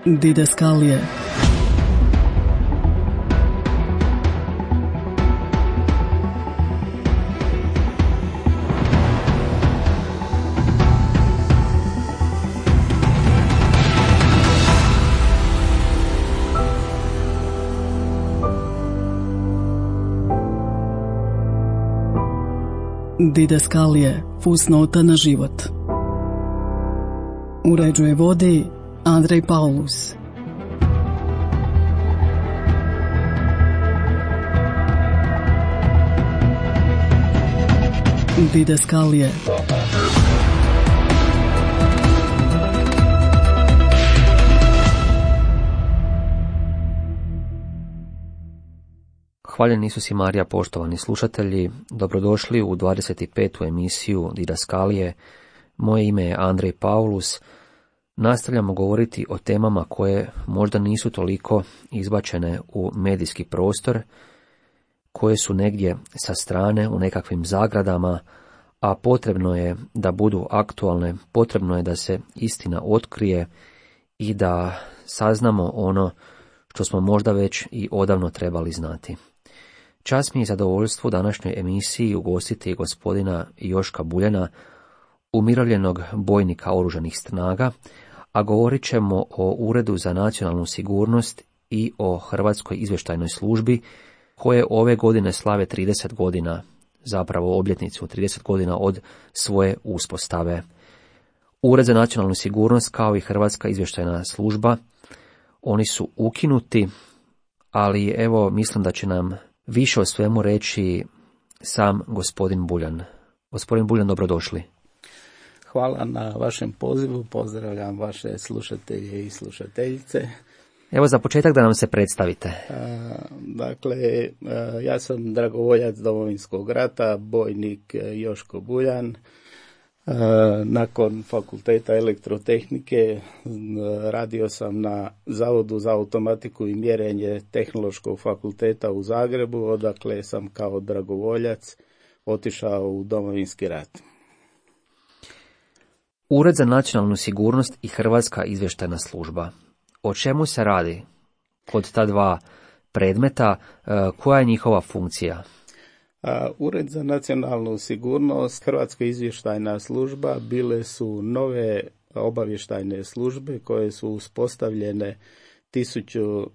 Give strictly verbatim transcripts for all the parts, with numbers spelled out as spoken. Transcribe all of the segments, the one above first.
Didaskalije. Didaskalije, fusnota na život. Uređuje vodi Andrej Paulus. Didaskalije. Hvaljen Isus i Marija, poštovani slušatelji, dobrodošli u dvadeset petu emisiju Didaskalije. Moje ime je Andrej Paulus. Nastavljamo govoriti o temama koje možda nisu toliko izbačene u medijski prostor, koje su negdje sa strane u nekakvim zagradama, a potrebno je da budu aktualne, potrebno je da se istina otkrije i da saznamo ono što smo možda već i odavno trebali znati. Čast mi je zadovoljstvo u današnjoj emisiji ugostiti gospodina Joška Buljana, umirovljenog bojnika oružanih snaga, a govorit ćemo o Uredu za nacionalnu sigurnost i o Hrvatskoj izvještajnoj službi, koje ove godine slave trideset godina, zapravo obljetnicu trideset godina od svoje uspostave. Ured za nacionalnu sigurnost kao i Hrvatska izvještajna služba, oni su ukinuti, ali evo mislim da će nam više o svemu reći sam gospodin Buljan. Gospodin Buljan, dobrodošli. Hvala na vašem pozivu, pozdravljam vaše slušatelje i slušateljice. Evo za početak da nam se predstavite. A, dakle, a, ja sam dragovoljac Domovinskog rata, bojnik Joško Buljan. A, nakon fakulteta elektrotehnike radio sam na Zavodu za automatiku i mjerenje Tehnološkog fakulteta u Zagrebu, odakle sam kao dragovoljac otišao u Domovinski rat. Ured za nacionalnu sigurnost i Hrvatska izvještajna služba. O čemu se radi kod ta dva predmeta, koja je njihova funkcija? Ured za nacionalnu sigurnost, Hrvatska izvještajna služba bile su nove obavještajne službe koje su uspostavljene tisuću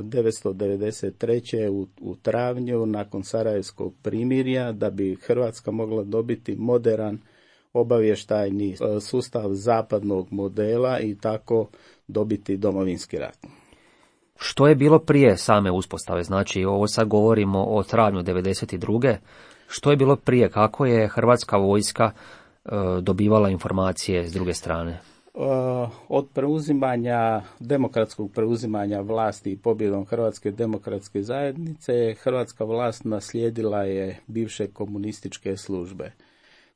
devetsto devedeset treće u, u travnju nakon Sarajevskog primirja, da bi Hrvatska mogla dobiti moderan obavještajni sustav zapadnog modela i tako dobiti Domovinski rat. Što je bilo prije same uspostave? Znači, ovo sad govorimo o travnju devedeset druge. Što je bilo prije? Kako je Hrvatska vojska e, dobivala informacije s druge strane? Od preuzimanja, demokratskog preuzimanja vlasti i pobjedom Hrvatske demokratske zajednice, hrvatska vlast naslijedila je bivše komunističke službe,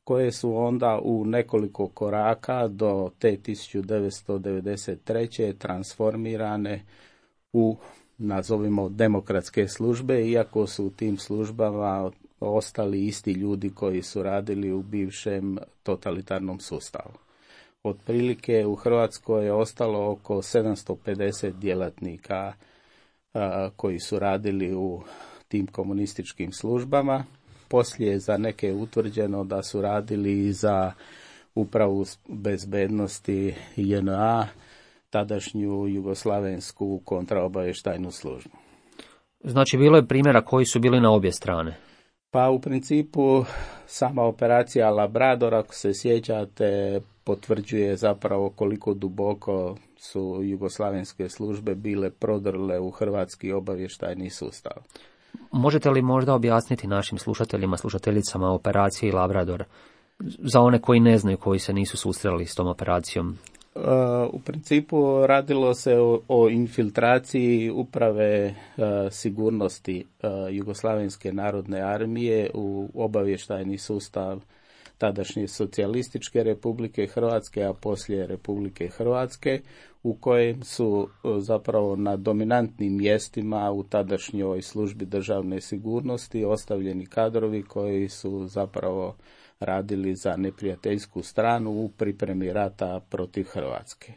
koje su onda u nekoliko koraka do te tisuću devetsto devedeset treće transformirane u, nazovimo, demokratske službe, iako su u tim službama ostali isti ljudi koji su radili u bivšem totalitarnom sustavu. Otprilike u Hrvatskoj je ostalo oko sedamsto pedeset djelatnika a, koji su radili u tim komunističkim službama. Poslije za neke je utvrđeno da su radili i za upravu bezbednosti J N A, tadašnju jugoslavensku kontraobavještajnu službu. Znači, bilo je primjera koji su bili na obje strane. Pa u principu sama operacija Labrador, ako se sjećate, potvrđuje zapravo koliko duboko su jugoslavenske službe bile prodrle u hrvatski obavještajni sustav. Možete li možda objasniti našim slušateljima, slušateljicama operaciji Labrador, za one koji ne znaju, koji se nisu susreli s tom operacijom? Uh, u principu radilo se o, o infiltraciji uprave uh, sigurnosti uh, Jugoslavenske narodne armije u obavještajni sustav tadašnje socijalističke Republike Hrvatske, a poslije Republike Hrvatske, u kojem su uh, zapravo na dominantnim mjestima u tadašnjoj službi državne sigurnosti ostavljeni kadrovi koji su zapravo radili za neprijateljsku stranu u pripremi rata protiv Hrvatske.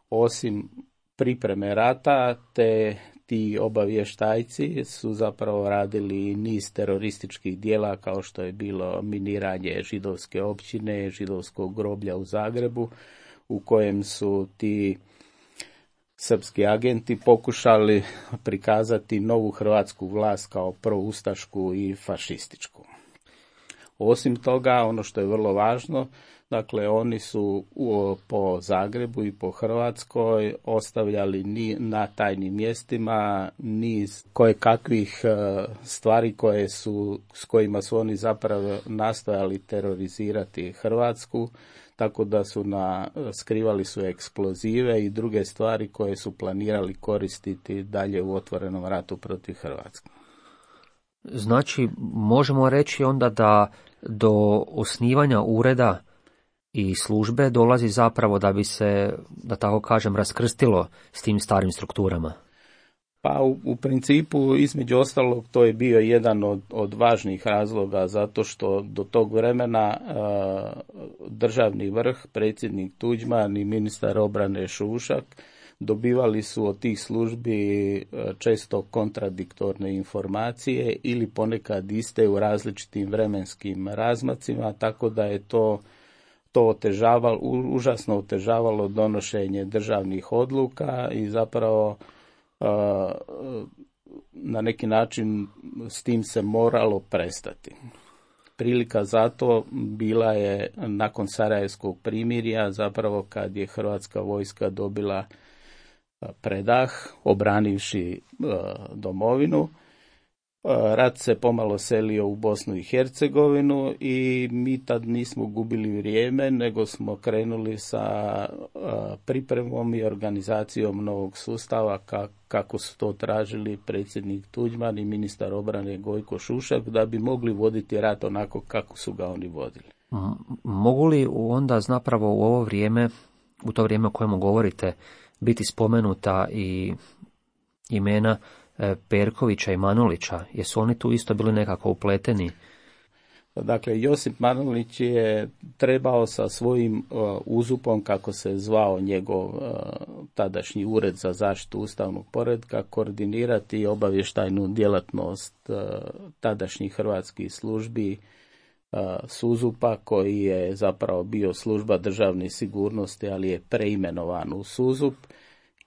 Osim pripreme rata, te ti obavještajci su zapravo radili niz terorističkih dijela kao što je bilo miniranje židovske općine, židovskog groblja u Zagrebu, u kojem su ti srpski agenti pokušali prikazati novu hrvatsku vlast kao proustašku i fašističku. Osim toga, ono što je vrlo važno, dakle, oni su u, po Zagrebu i po Hrvatskoj ostavljali ni, na tajnim mjestima niz kojekakvih stvari koje su, s kojima su oni zapravo nastojali terorizirati Hrvatsku, tako da su na, skrivali su eksplozive i druge stvari koje su planirali koristiti dalje u otvorenom ratu protiv Hrvatske. Znači, možemo reći onda da do osnivanja ureda i službe dolazi zapravo da bi se, da tako kažem, raskrstilo s tim starim strukturama. Pa u, u principu, između ostalog, to je bio jedan od, od važnih razloga, zato što do tog vremena a, državni vrh, predsjednik Tuđman i ministar obrane Šušak dobivali su od tih službi često kontradiktorne informacije ili ponekad iste u različitim vremenskim razmacima, tako da je to to otežavalo, užasno otežavalo donošenje državnih odluka i zapravo na neki način s tim se moralo prestati. Prilika za to bila je nakon Sarajevskog primirja, zapravo kad je hrvatska vojska dobila predah, obranivši domovinu. Rat se pomalo selio u Bosnu i Hercegovinu i mi tad nismo gubili vrijeme, nego smo krenuli sa pripremom i organizacijom novog sustava kako su to tražili predsjednik Tuđman i ministar obrane Gojko Šušak, da bi mogli voditi rat onako kako su ga oni vodili. Mogu li onda zapravo u ovo vrijeme, u to vrijeme o kojemu govorite, biti spomenuta i imena Perkovića i Manulića? Jesu oni tu isto bili nekako upleteni? Dakle, Josip Manulić je trebao sa svojim uh, uzupom, kako se zvao njegov uh, tadašnji ured za zaštitu ustavnog poretka, koordinirati obavještajnu djelatnost uh, tadašnjih hrvatskih službi uh, Suzupa, koji je zapravo bio služba državne sigurnosti, ali je preimenovan u Suzup,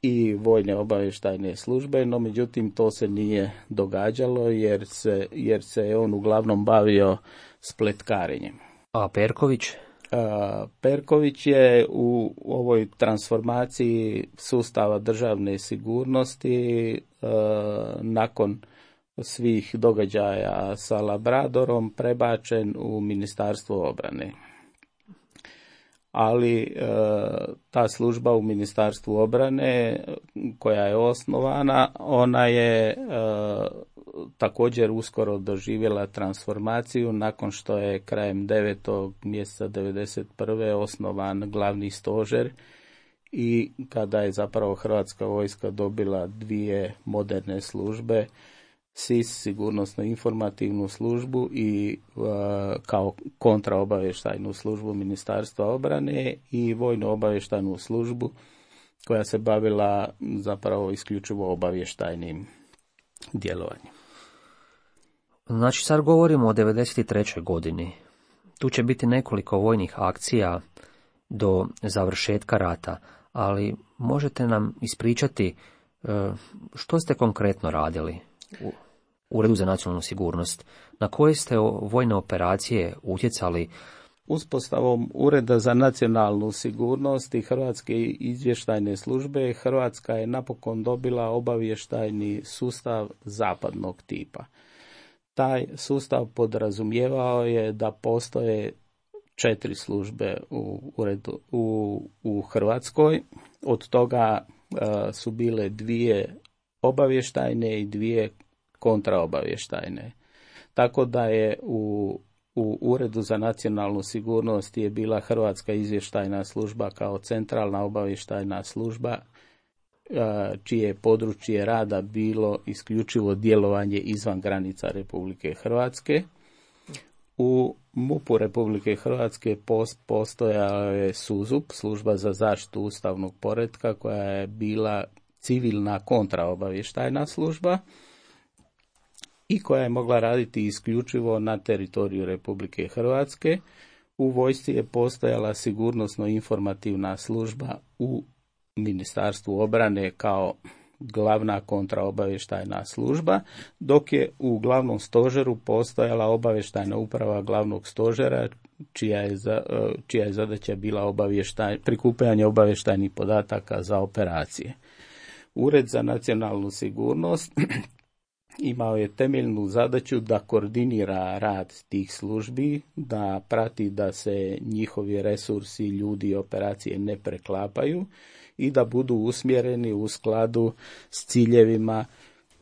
i vojne obavještajne službe, no međutim to se nije događalo jer se, jer se on uglavnom bavio spletkarenjem. A Perković? A, Perković je u ovoj transformaciji sustava državne sigurnosti a, nakon svih događaja sa Labradorom prebačen u Ministarstvo obrane. Ali e, ta služba u Ministarstvu obrane koja je osnovana, ona je e, također uskoro doživjela transformaciju nakon što je krajem devetog mjeseca devedeset prve osnovan glavni stožer i kada je zapravo Hrvatska vojska dobila dvije moderne službe, S I S, sigurnosno-informativnu službu, i uh, kao kontraobavještajnu službu Ministarstva obrane i vojno-obavještajnu službu koja se bavila zapravo isključivo obavještajnim djelovanjem. Znači sad govorimo o devedeset trećoj godini. Tu će biti nekoliko vojnih akcija do završetka rata, ali možete nam ispričati uh, što ste konkretno radili u Uredu za nacionalnu sigurnost? Na koje ste vojne operacije utjecali? Uspostavom Ureda za nacionalnu sigurnost i Hrvatske izvještajne službe, Hrvatska je napokon dobila obavještajni sustav zapadnog tipa. Taj sustav podrazumijevao je da postoje četiri službe u, uredu, u, u Hrvatskoj, od toga uh, su bile dvije obavještajne i dvije kontraobavještajne. Tako da je u, u Uredu za nacionalnu sigurnost je bila Hrvatska izvještajna služba kao centralna obavještajna služba, čije područje rada bilo isključivo djelovanje izvan granica Republike Hrvatske. U MUP-u Republike Hrvatske postojala je SUZUP, služba za zaštitu ustavnog poretka, koja je bila civilna kontraobavještajna služba i koja je mogla raditi isključivo na teritoriju Republike Hrvatske. U vojsci je postojala sigurnosno-informativna služba u Ministarstvu obrane kao glavna kontraobavještajna služba, dok je u glavnom stožeru postojala obavještajna uprava glavnog stožera, čija je, za, čija je zadaća bila obavještaj, prikupljanje obavještajnih podataka za operacije. Ured za nacionalnu sigurnost imao je temeljnu zadaću da koordinira rad tih službi, da prati da se njihovi resursi, ljudi i operacije ne preklapaju i da budu usmjereni u skladu s ciljevima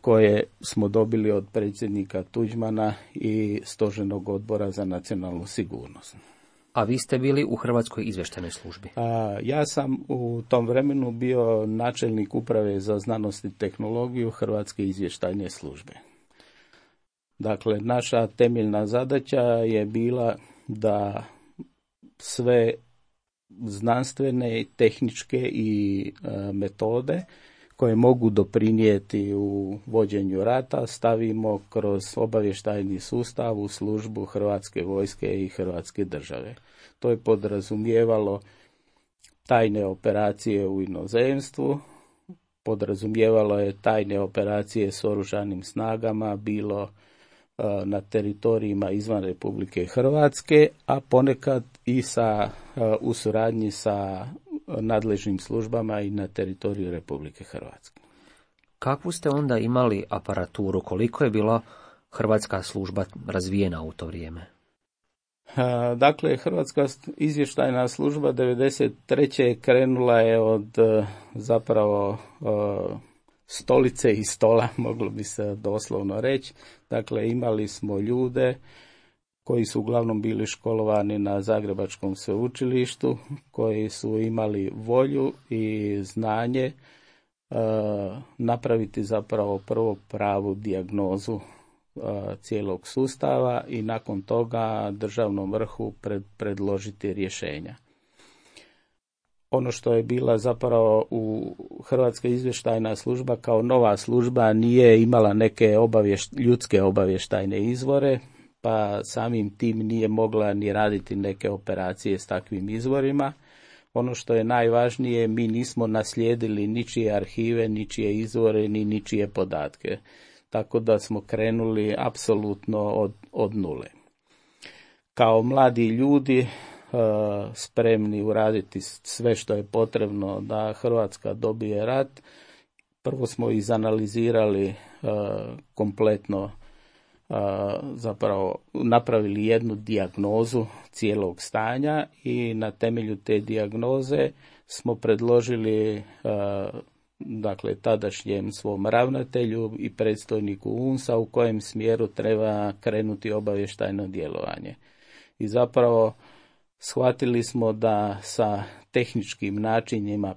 koje smo dobili od predsjednika Tuđmana i Stožernog odbora za nacionalnu sigurnost. A vi ste bili u Hrvatskoj izvještajnoj službi? A, ja sam u tom vremenu bio načelnik uprave za znanost i tehnologiju Hrvatske izvještajne službe. Dakle, naša temeljna zadaća je bila da sve znanstvene, tehničke i e, metode koje mogu doprinijeti u vođenju rata stavimo kroz obavještajni sustav u službu Hrvatske vojske i Hrvatske države. To je podrazumijevalo tajne operacije u inozemstvu, podrazumijevalo je tajne operacije s oružanim snagama, bilo na teritorijima izvan Republike Hrvatske, a ponekad i sa, u suradnji sa nadležnim službama i na teritoriju Republike Hrvatske. Kakvu ste onda imali aparaturu? Koliko je bila hrvatska služba razvijena u to vrijeme? Dakle, Hrvatska izvještajna služba devedeset treće krenula je od zapravo stolice i stola, moglo bi se doslovno reći. Dakle, imali smo ljude koji su uglavnom bili školovani na Zagrebačkom sveučilištu, koji su imali volju i znanje e, napraviti zapravo prvo pravu dijagnozu e, cijelog sustava i nakon toga državnom vrhu pred, predložiti rješenja. Ono što je bila zapravo u Hrvatska izvještajna služba kao nova služba nije imala neke obavješt, ljudske obavještajne izvore, pa samim tim nije mogla ni raditi neke operacije s takvim izvorima. Ono što je najvažnije, mi nismo naslijedili ničije arhive, ničije izvore, ni ničije podatke. Tako da smo krenuli apsolutno od, od nule. Kao mladi ljudi spremni uraditi sve što je potrebno da Hrvatska dobije rat, prvo smo izanalizirali kompletno, zapravo napravili jednu dijagnozu cijelog stanja i na temelju te dijagnoze smo predložili dakle tadašnjem svom ravnatelju i predstojniku U N S A u kojem smjeru treba krenuti obavještajno djelovanje. I zapravo shvatili smo da sa tehničkim načinima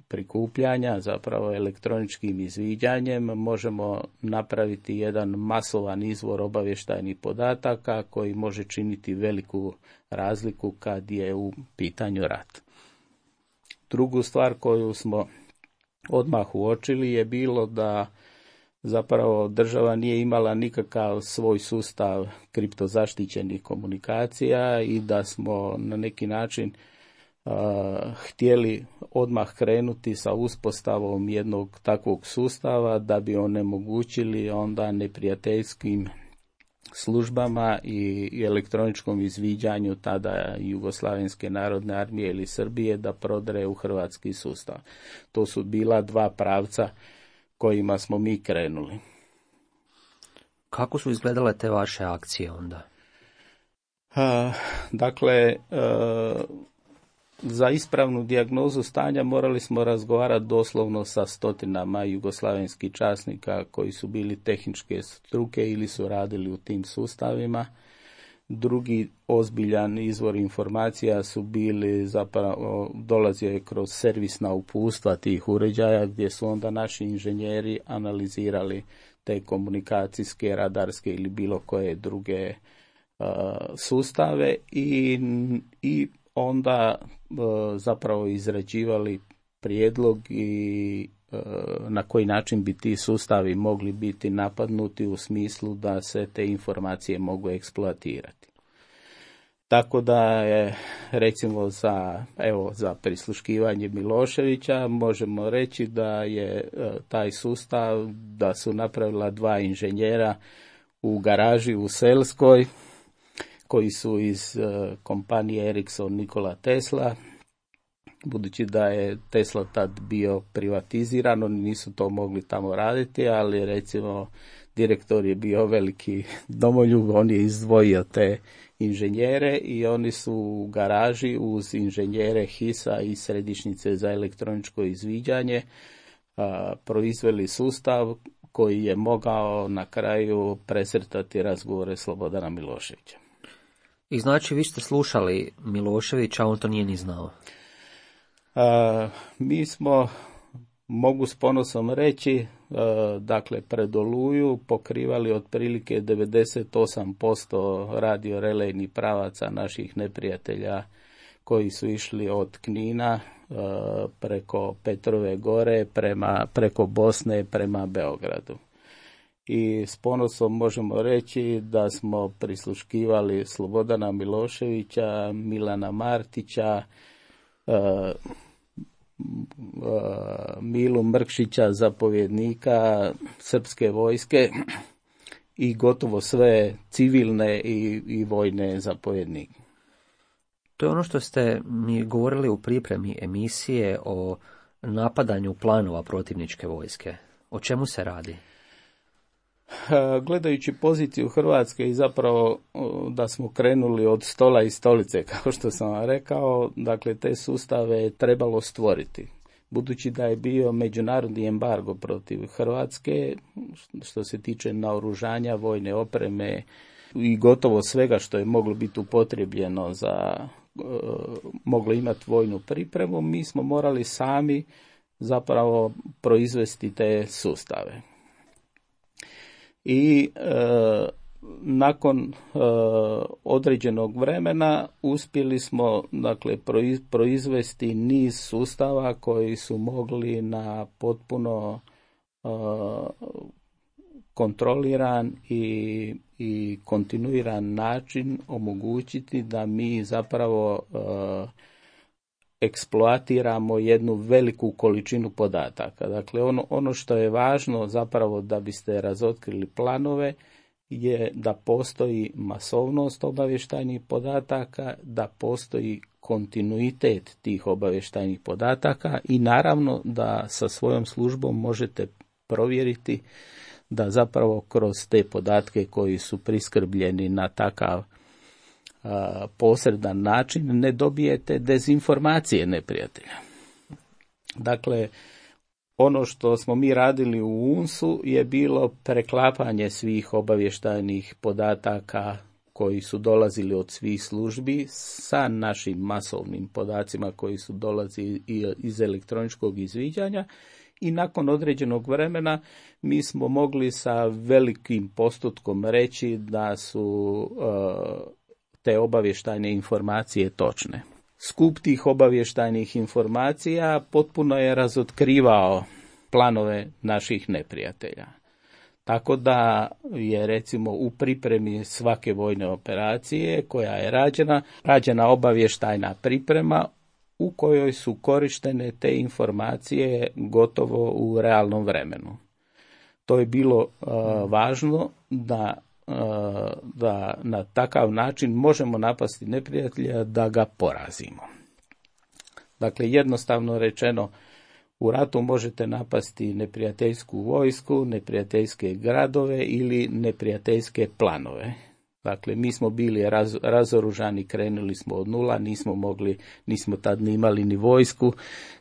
prikupljanja, zapravo elektroničkim izviđanjem, možemo napraviti jedan masovan izvor obavještajnih podataka koji može činiti veliku razliku kad je u pitanju rat. Drugu stvar koju smo odmah uočili je bilo da zapravo država nije imala nikakav svoj sustav kriptozaštićenih komunikacija i da smo na neki način uh, htjeli odmah krenuti sa uspostavom jednog takvog sustava da bi onemogućili onda neprijateljskim službama i, i elektroničkom izviđanju tada Jugoslavenske narodne armije ili Srbije da prodre u hrvatski sustav. To su bila dva pravca kojima smo mi krenuli. Kako su izgledale te vaše akcije onda? Uh, dakle, uh, za ispravnu dijagnozu stanja morali smo razgovarati doslovno sa stotinama jugoslavenskih časnika koji su bili tehničke struke ili su radili u tim sustavima. Drugi ozbiljan izvor informacija su bili zapravo, dolazio je kroz servisna uputstva tih uređaja gdje su onda naši inženjeri analizirali te komunikacijske, radarske ili bilo koje druge uh, sustave i, i onda uh, zapravo izrađivali prijedlog i na koji način bi ti sustavi mogli biti napadnuti u smislu da se te informacije mogu eksploatirati. Tako da je, recimo za, evo, za prisluškivanje Miloševića možemo reći da je taj sustav, da su napravila dva inženjera u garaži u Selskoj, koji su iz kompanije Ericsson Nikola Tesla. Budući da je Tesla tad bio privatiziran, oni nisu to mogli tamo raditi, ali recimo direktor je bio veliki domoljub, on je izdvojio te inženjere i oni su u garaži uz inženjere hisa i središnjice za elektroničko izviđanje a, proizveli sustav koji je mogao na kraju presretati razgovore Slobodana Miloševića. I znači vi ste slušali Miloševića, a on to nije ni znao. A, mi smo, mogu s ponosom reći, a, dakle pred Oluju pokrivali otprilike devedeset osam posto radiorelejnih pravaca naših neprijatelja koji su išli od Knina a, preko Petrove gore prema, preko Bosne prema Beogradu. I s ponosom možemo reći da smo prisluškivali Slobodana Miloševića, Milana Martića, uh, uh, Milu Mrkšića, zapovjednika srpske vojske i gotovo sve civilne i, i vojne zapovjednike. To je ono što ste mi govorili u pripremi emisije o napadanju planova protivničke vojske. O čemu se radi? Gledajući poziciju Hrvatske i zapravo da smo krenuli od stola i stolice, kao što sam vam rekao, dakle te sustave je trebalo stvoriti. Budući da je bio međunarodni embargo protiv Hrvatske, što se tiče naoružanja, vojne opreme i gotovo svega što je moglo biti upotrijebljeno za, moglo imati vojnu pripremu, mi smo morali sami zapravo proizvesti te sustave. I e, nakon e, određenog vremena uspjeli smo dakle proiz, proizvesti niz sustava koji su mogli na potpuno e, kontroliran i, i kontinuiran način omogućiti da mi zapravo e, eksploatiramo jednu veliku količinu podataka. Dakle, ono, ono što je važno zapravo da biste razotkrili planove je da postoji masovnost obavještajnih podataka, da postoji kontinuitet tih obavještajnih podataka i naravno da sa svojom službom možete provjeriti da zapravo kroz te podatke koji su priskrbljeni na takav a, posredan način ne dobijete dezinformacije neprijatelja. Dakle, ono što smo mi radili u U N S-u je bilo preklapanje svih obavještajnih podataka koji su dolazili od svih službi sa našim masovnim podacima koji su dolazili iz elektroničkog izviđanja i nakon određenog vremena mi smo mogli sa velikim postotkom reći da su uh, te obavještajne informacije točne. Skup tih obavještajnih informacija potpuno je razotkrivao planove naših neprijatelja. Tako da je recimo u pripremi svake vojne operacije koja je rađena, rađena obavještajna priprema u kojoj su korištene te informacije gotovo u realnom vremenu. To je bilo uh, važno da, uh, da na takav način možemo napasti neprijatelja da ga porazimo. Dakle, jednostavno rečeno, u ratu možete napasti neprijateljsku vojsku, neprijateljske gradove ili neprijateljske planove. Dakle, mi smo bili raz, razoružani, krenuli smo od nula, nismo mogli, nismo tad ni imali ni vojsku.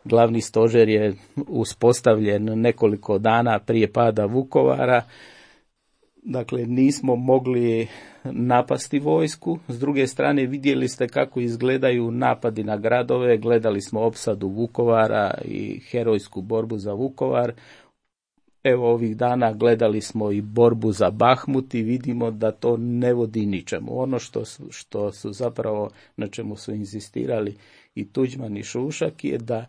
Glavni stožer je uspostavljen nekoliko dana prije pada Vukovara. Dakle, nismo mogli napasti vojsku. S druge strane, vidjeli ste kako izgledaju napadi na gradove, gledali smo opsadu Vukovara i herojsku borbu za Vukovar. Evo ovih dana gledali smo i borbu za Bahmut i vidimo da to ne vodi ničemu. Ono što su, što su zapravo, na čemu su inzistirali i Tuđman i Šušak je da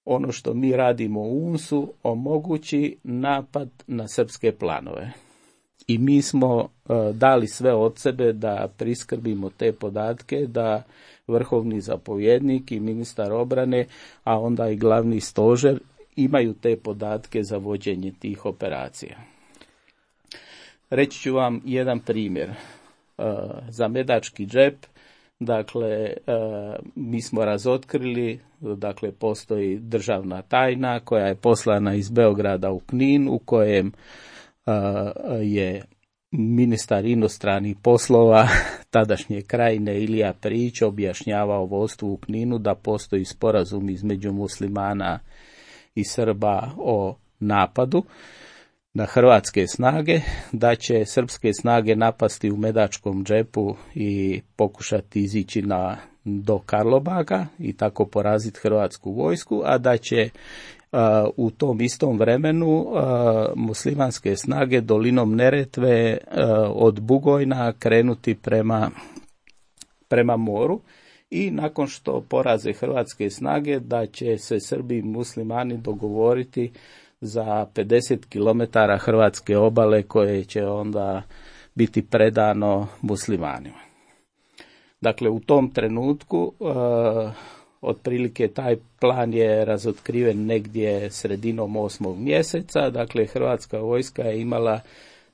ono što mi radimo u UNS-u omogući napad na srpske planove. I mi smo uh, dali sve od sebe da priskrbimo te podatke, da vrhovni zapovjednik i ministar obrane, a onda i glavni stožer imaju te podatke za vođenje tih operacija. Reći ću vam jedan primjer. Uh, za Medački džep, dakle, uh, mi smo razotkrili, dakle, postoji državna tajna koja je poslana iz Beograda u Knin, u kojem uh, je ministar inostranih poslova tadašnje krajine Ilija Prijić objašnjavao vodstvu u Kninu da postoji sporazum između muslimana i Srba o napadu na hrvatske snage, da će srpske snage napasti u Medačkom džepu i pokušati izići na, do Karlobaga i tako poraziti hrvatsku vojsku, a da će uh, u tom istom vremenu uh, muslimanske snage dolinom Neretve uh, od Bugojna krenuti prema, prema moru i nakon što poraze hrvatske snage da će se Srbi i muslimani dogovoriti za pedeset kilometara hrvatske obale koje će onda biti predano muslimanima. Dakle, u tom trenutku uh, otprilike taj plan je razotkriven negdje sredinom osmog mjeseca. Dakle, hrvatska vojska je imala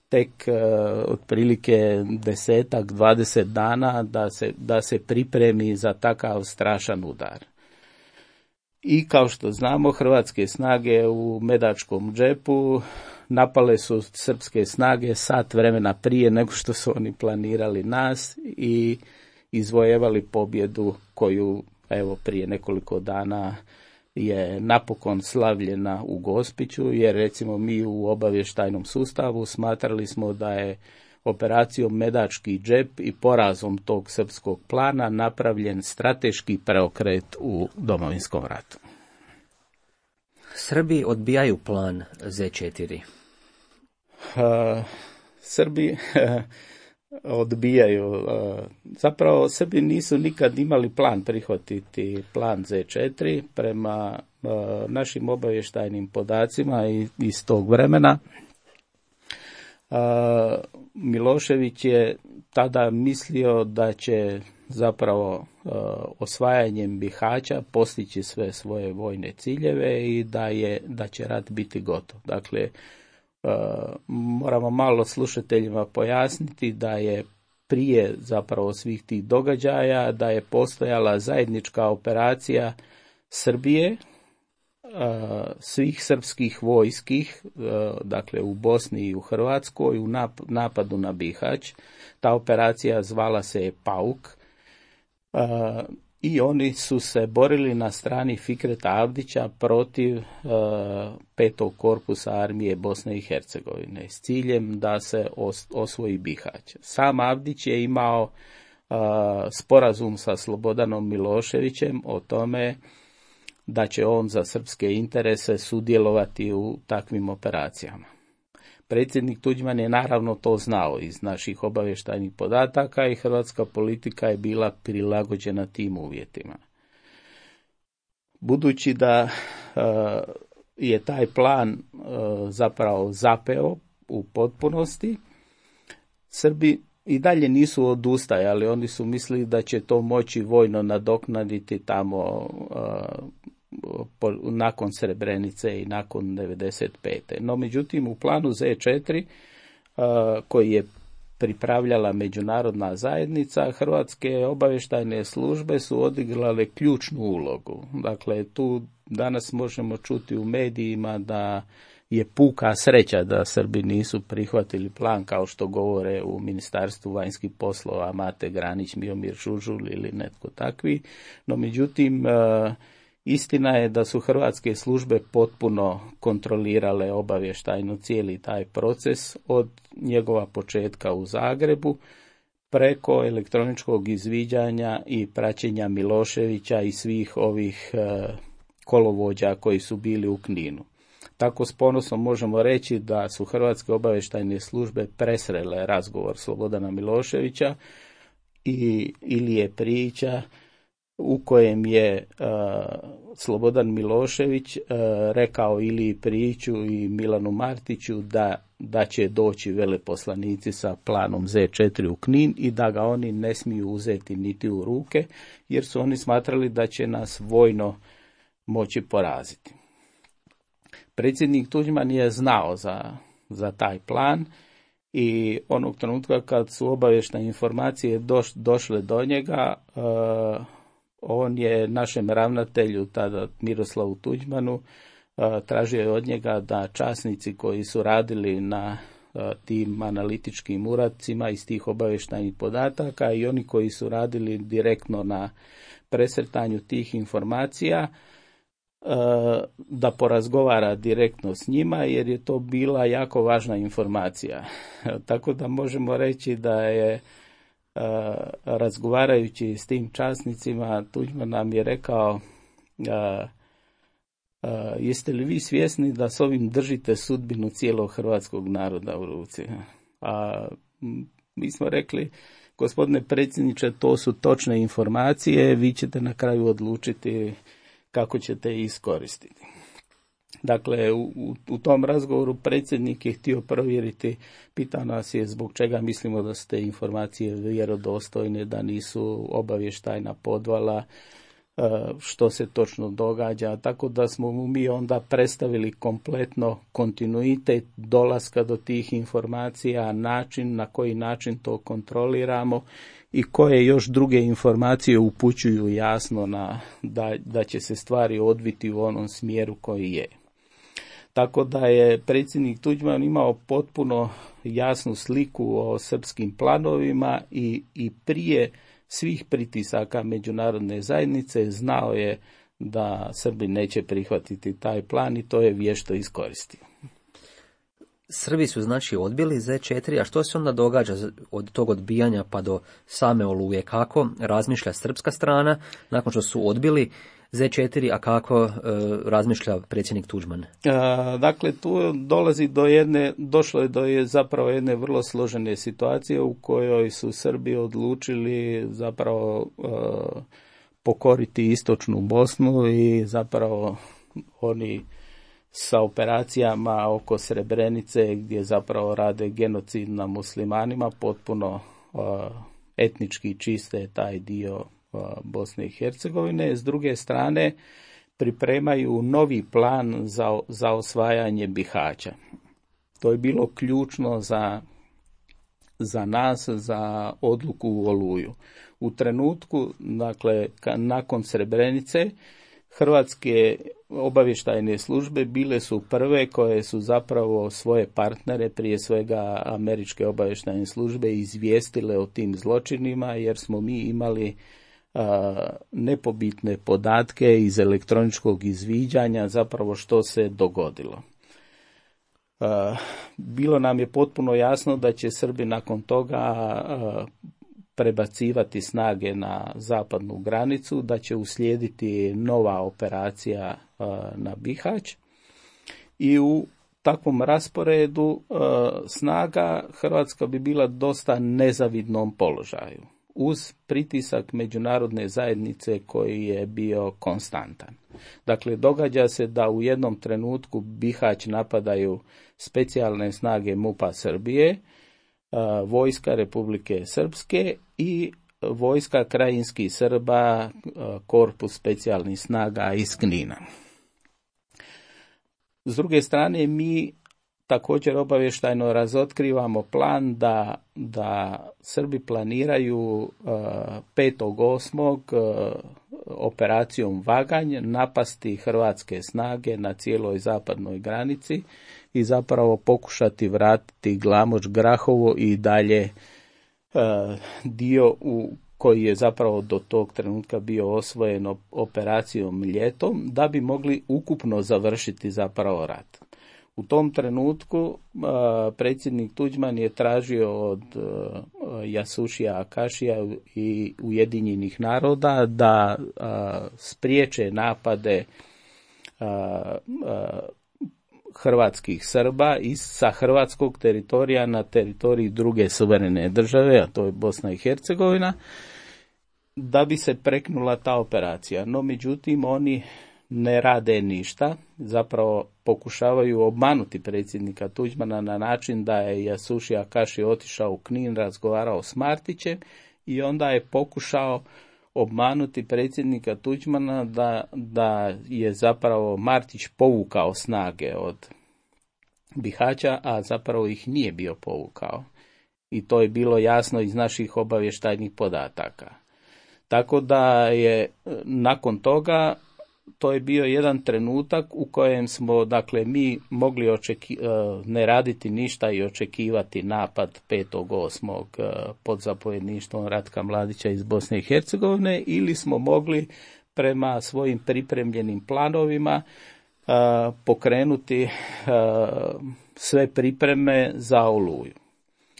tek uh, otprilike desetak, dvadeset dana da se, da se pripremi za takav strašan udar. I kao što znamo, hrvatske snage u Medačkom džepu napale su srpske snage sat vremena prije nego što su oni planirali nas i izvojevali pobjedu koju, evo, prije nekoliko dana je napokon slavljena u Gospiću, jer recimo mi u obavještajnom sustavu smatrali smo da je operacijom Medački džep i porazom tog srpskog plana napravljen strateški preokret u Domovinskom ratu. Srbi odbijaju plan zet četiri. Uh, Srbi uh, odbijaju. Uh, zapravo Srbi nisu nikad imali plan prihvatiti plan zet četiri prema uh, našim obavještajnim podacima iz tog vremena. Uh, Milošević je tada mislio da će zapravo uh, osvajanjem Bihaća postići sve svoje vojne ciljeve i da je da će rat biti gotov. Dakle, uh, moramo malo slušateljima pojasniti da je prije zapravo svih tih događaja da je postojala zajednička operacija Srbije, svih srpskih vojskih, dakle u Bosni i u Hrvatskoj, u napadu na Bihać. Ta operacija zvala se je Pauk i oni su se borili na strani Fikreta Avdića protiv petog korpusa armije Bosne i Hercegovine s ciljem da se osvoji Bihać. Sam Avdić je imao sporazum sa Slobodanom Miloševićem o tome da će on za srpske interese sudjelovati u takvim operacijama. Predsjednik Tuđman je naravno to znao iz naših obavještajnih podataka i hrvatska politika je bila prilagođena tim uvjetima. Budući da uh, je taj plan uh, zapravo zapeo u potpunosti, Srbi i dalje nisu odustajali, oni su mislili da će to moći vojno nadoknaditi tamo uh, po, nakon Srebrenice i nakon devedeset pete. No međutim u planu zet četiri uh, koji je pripravljala međunarodna zajednica, hrvatske obavještajne službe su odigrale ključnu ulogu. Dakle, tu danas možemo čuti u medijima da je puka sreća da Srbi nisu prihvatili plan, kao što govore u Ministarstvu vanjskih poslova Mate Granić, Miomir Žužul ili netko takvi. No međutim, istina je da su hrvatske službe potpuno kontrolirale obavještajno cijeli taj proces od njegova početka u Zagrebu preko elektroničkog izviđanja i praćenja Miloševića i svih ovih kolovođa koji su bili u Kninu. Tako s ponosom možemo reći da su hrvatske obavještajne službe presrele razgovor Slobodana Miloševića i Ilije Prijića u kojem je uh, Slobodan Milošević uh, rekao Iliji Prijiću i Milanu Martiću da, da će doći veleposlanici sa planom Z četiri u Knin i da ga oni ne smiju uzeti niti u ruke, jer su oni smatrali da će nas vojno moći poraziti. Predsjednik Tuđman je znao za, za taj plan i onog trenutka kad su obavještajne informacije doš, došle do njega, uh, on je našem ravnatelju, tada Miroslavu Tuđmanu, uh, tražio je od njega da časnici koji su radili na uh, tim analitičkim uradcima iz tih obavještajnih podataka i oni koji su radili direktno na presretanju tih informacija, da porazgovara direktno s njima, jer je to bila jako važna informacija. Tako da možemo reći da je, razgovarajući s tim časnicima, Tuđman nam je rekao: jeste li vi svjesni da s ovim držite sudbinu cijelog hrvatskog naroda u ruci? A mi smo rekli: gospodine predsjedniče, to su točne informacije, vi ćete na kraju odlučiti kako ćete ih iskoristiti. Dakle, u, u tom razgovoru predsjednik je htio provjeriti, pitao nas je zbog čega mislimo da su te informacije vjerodostojne, da nisu obavještajna podvala, što se točno događa, tako da smo mu mi onda predstavili kompletno kontinuitet dolaska do tih informacija, način na koji način to kontroliramo i koje još druge informacije upućuju jasno na da, da će se stvari odviti u onom smjeru koji je. Tako da je predsjednik Tuđman imao potpuno jasnu sliku o srpskim planovima i, i prije svih pritisaka međunarodne zajednice znao je da Srbi neće prihvatiti taj plan i to je vješto iskoristio. Srbi su znači odbili Z četiri, a što se onda događa od tog odbijanja pa do same Oluje? Kako razmišlja srpska strana nakon što su odbili Z četiri, a kako e, razmišlja predsjednik Tuđman? A, dakle, tu dolazi do jedne, došlo je do je zapravo jedne vrlo složene situacije u kojoj su Srbi odlučili zapravo e, pokoriti istočnu Bosnu i zapravo oni sa operacijama oko Srebrenice gdje zapravo rade genocid na muslimanima, potpuno uh, etnički čiste taj dio uh, Bosne i Hercegovine. S druge strane pripremaju novi plan za, za osvajanje Bihaća. To je bilo ključno za, za nas, za odluku u Oluju. U trenutku, dakle, ka, nakon Srebrenice, hrvatske obavještajne službe bile su prve koje su zapravo svoje partnere, prije svega američke obavještajne službe, izvijestile o tim zločinima, jer smo mi imali a, nepobitne podatke iz elektroničkog izviđanja zapravo što se dogodilo. A, bilo nam je potpuno jasno da će Srbi nakon toga a, prebacivati snage na zapadnu granicu, da će uslijediti nova operacija uh, na Bihać i u takvom rasporedu uh, snaga Hrvatska bi bila dosta nezavidnom položaju uz pritisak međunarodne zajednice koji je bio konstantan. Dakle, događa se da u jednom trenutku Bihać napadaju specijalne snage MUP-a Srbije, vojska Republike Srpske i vojska krajinskih Srba, korpus specijalnih snaga iz Knina. S druge strane, mi također obavještajno razotkrivamo plan da, da Srbi planiraju petog osmog operacijom Vaganj napasti hrvatske snage na cijeloj zapadnoj granici i zapravo pokušati vratiti Glamoč, Grahovo i dalje uh, dio u koji je zapravo do tog trenutka bio osvojen operacijom Ljetom, da bi mogli ukupno završiti zapravo rat. U tom trenutku uh, predsjednik Tuđman je tražio od uh, Jasušija Akašija i Ujedinjenih naroda da uh, spriječe napade uh, uh, hrvatskih Srba i sa hrvatskog teritorija na teritoriji druge suverene države, a to je Bosna i Hercegovina. da bi se preknula ta operacija. No, međutim, oni ne rade ništa, zapravo pokušavaju obmanuti predsjednika Tuđmana na način da je Yasushi Akashi otišao u Knin, razgovarao s Martićem i onda je pokušao obmanuti predsjednika Tuđmana da, da je zapravo Martić povukao snage od Bihaća, a zapravo ih nije bio povukao. I to je bilo jasno iz naših obavještajnih podataka. Tako da je nakon toga to je bio jedan trenutak u kojem smo, dakle, mi mogli očeki, ne raditi ništa i očekivati napad petog osmog pod zapovjedništvom Ratka Mladića iz Bosne i Hercegovine, ili smo mogli prema svojim pripremljenim planovima pokrenuti sve pripreme za Oluju.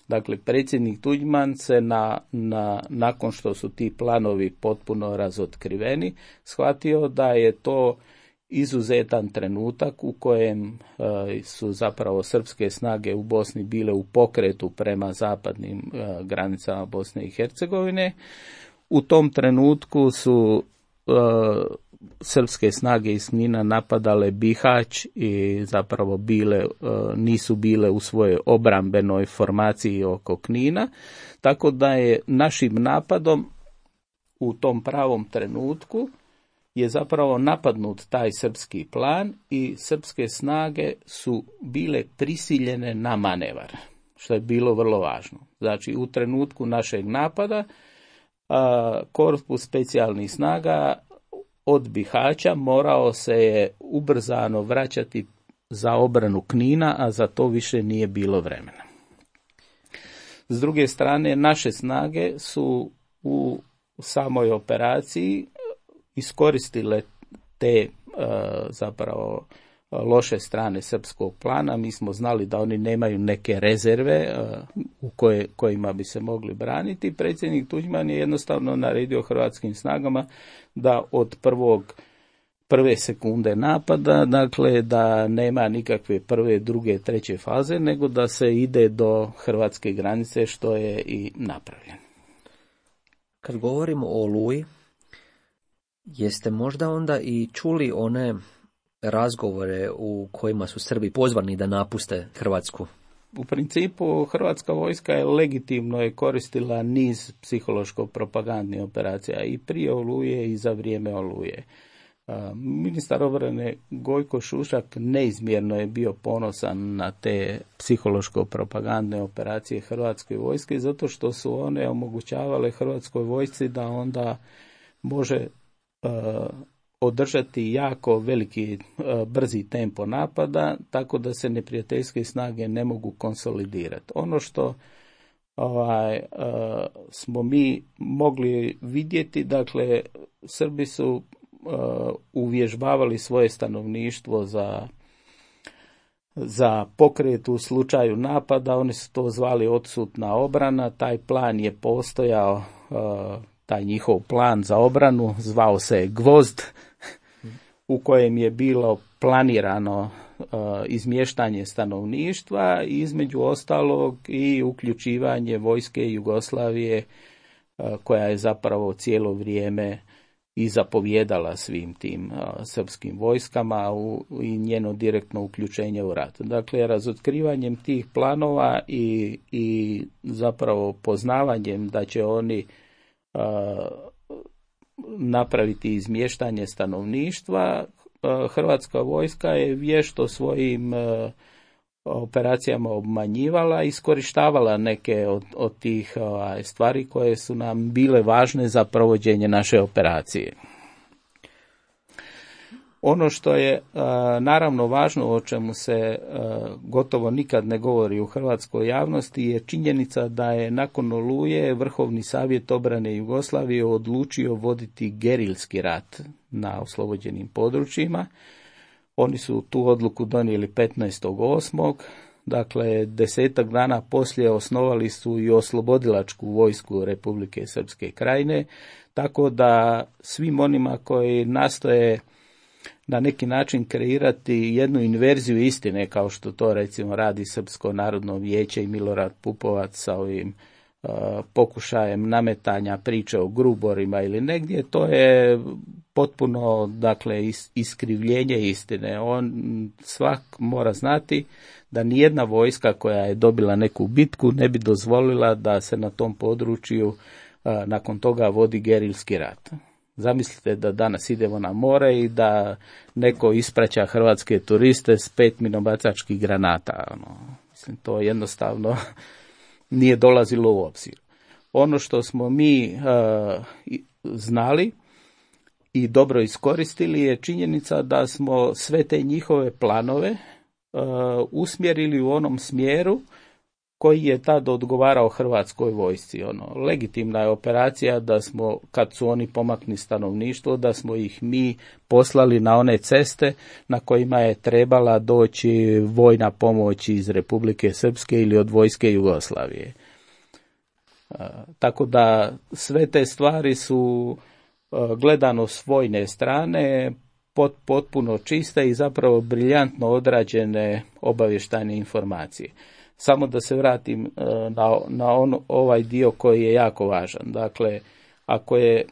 Dakle, predsjednik Tuđman se na, na, nakon što su ti planovi potpuno razotkriveni, shvatio da je to izuzetan trenutak u kojem e, su zapravo srpske snage u Bosni bile u pokretu prema zapadnim e, granicama Bosne i Hercegovine. U tom trenutku su e, srpske snage iz Knina napadale Bihać i zapravo bile, nisu bile u svojoj obrambenoj formaciji oko Knina, tako da je našim napadom u tom pravom trenutku je zapravo napadnut taj srpski plan i srpske snage su bile prisiljene na manevar, što je bilo vrlo važno. Znači, u trenutku našeg napada korpus specijalnih snaga od Bihaća morao se je ubrzano vraćati za obranu Knina, a za to više nije bilo vremena. S druge strane, naše snage su u samoj operaciji iskoristile te zapravo loše strane srpskog plana. Mi smo znali da oni nemaju neke rezerve u koje, kojima bi se mogli braniti. Predsjednik Tuđman je jednostavno naredio hrvatskim snagama da od prvog, prve sekunde napada, dakle da nema nikakve prve, druge, treće faze, nego da se ide do hrvatske granice, što je i napravljeno. Kad govorimo o Oluji, jeste možda onda i čuli one razgovore u kojima su Srbi pozvani da napuste Hrvatsku? U principu hrvatska vojska je legitimno je koristila niz psihološko-propagandnih operacija i prije Oluje i za vrijeme Oluje. Ministar obrane Gojko Šušak neizmjerno je bio ponosan na te psihološko-propagandne operacije hrvatske vojske, zato što su one omogućavale hrvatskoj vojsci da onda može održati jako veliki brzi tempo napada, tako da se neprijateljske snage ne mogu konsolidirati. Ono što ovaj, smo mi mogli vidjeti, dakle, Srbi su uvježbavali svoje stanovništvo za, za pokret u slučaju napada, oni su to zvali odsutna obrana, taj plan je postojao, taj njihov plan za obranu zvao se Gvozd, u kojem je bilo planirano uh, izmještanje stanovništva i između ostalog i uključivanje vojske Jugoslavije uh, koja je zapravo cijelo vrijeme i zapovjedala svim tim uh, srpskim vojskama u, i njeno direktno uključenje u rat. Dakle, razotkrivanjem tih planova i, i zapravo poznavanjem da će oni uh, napraviti izmještanje stanovništva, hrvatska vojska je vješto svojim operacijama obmanjivala i iskorištavala neke od, od tih stvari koje su nam bile važne za provođenje naše operacije. Ono što je naravno važno, o čemu se gotovo nikad ne govori u hrvatskoj javnosti, je činjenica da je nakon Oluje Vrhovni savjet obrane Jugoslavije odlučio voditi gerilski rat na oslobođenim područjima. Oni su tu odluku donijeli petnaestog osmog Dakle, desetak dana poslije osnovali su i oslobodilačku vojsku Republike Srpske Krajine, tako da svim onima koji nastoje na neki način kreirati jednu inverziju istine, kao što to recimo radi Srpsko narodno vijeće i Milorad Pupovac sa ovim pokušajem nametanja priče o Gruborima ili negdje, to je potpuno, dakle, iskrivljenje istine. On svak mora znati da nijedna vojska koja je dobila neku bitku ne bi dozvolila da se na tom području nakon toga vodi gerilski rat. Zamislite da danas idemo na more i da neko ispraća hrvatske turiste s pet minobacačkih granata. Ono, mislim, to jednostavno nije dolazilo u obzir. Ono što smo mi uh, znali i dobro iskoristili je činjenica da smo sve te njihove planove uh, usmjerili u onom smjeru koji je tad odgovarao hrvatskoj vojsci. Ono, legitimna je operacija da smo, kad su oni pomakli stanovništvo, da smo ih mi poslali na one ceste na kojima je trebala doći vojna pomoć iz Republike Srpske ili od vojske Jugoslavije. A, tako da sve te stvari su a, gledano s vojne strane pot, potpuno čiste i zapravo briljantno odrađene obavještajne informacije. Samo da se vratim na, na on, ovaj dio koji je jako važan. Dakle, ako je